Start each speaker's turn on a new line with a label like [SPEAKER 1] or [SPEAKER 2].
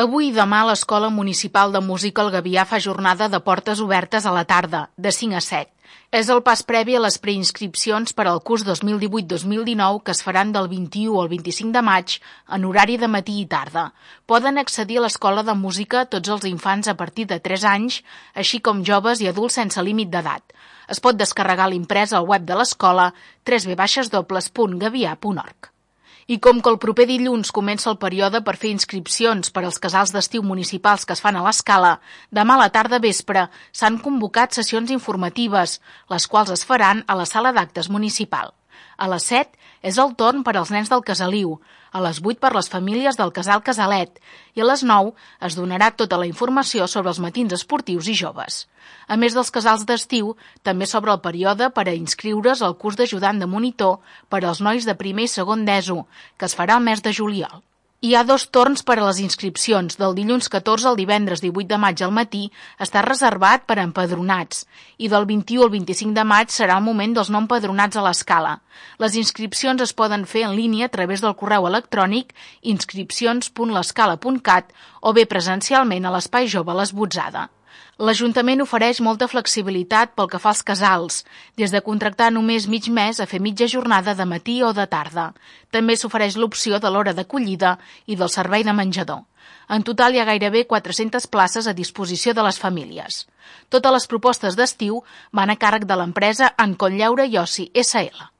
[SPEAKER 1] Avui i demà l'Escola Municipal de Música El Gavià fa jornada de portes obertes a la tarda, de 5 a 7. És el pas previ a les preinscripcions per al curs 2018-2019 que es faran del 21 al 25 de maig en horari de matí i tarda. Poden accedir a l'Escola de Música tots els infants a partir de 3 anys, així com joves i adults sense límit d'edat. Es pot descarregar l'imprès al web de l'escola www.gavià.org. I com que el proper dilluns comença el període per fer inscripcions per als casals d'estiu municipals que es fan a l'Escala, demà a la tarda vespre s'han convocat sessions informatives, les quals es faran a la sala d'actes municipal. A les 7 és el torn per als nens del Casaliu, a les 8 per les famílies del casal Casalet i a les 9 es donarà tota la informació sobre els matins esportius i joves. A més dels casals d'estiu, també s'obre el període per a inscriure's al curs d'ajudant de monitor per als nois de primer i segon d'ESO, que es farà el mes de juliol. Hi ha 2 torns per a les inscripcions. Del dilluns 14 al divendres 18 de maig al matí està reservat per a empadronats i del 21 al 25 de maig serà el moment dels no empadronats a l'Escala. Les inscripcions es poden fer en línia a través del correu electrònic inscripcions.lescala.cat o bé presencialment a l'Espai Jove Les Botzada. L'Ajuntament ofereix molta flexibilitat pel que fa als casals, des de contractar només mig mes a fer mitja jornada de matí o de tarda. També s'ofereix l'opció de l'hora d'acollida i del servei de menjador. En total hi ha gairebé 400 places a disposició de les famílies. Totes les propostes d'estiu van a càrrec de l'empresa Encont Lleure i Oci, SL.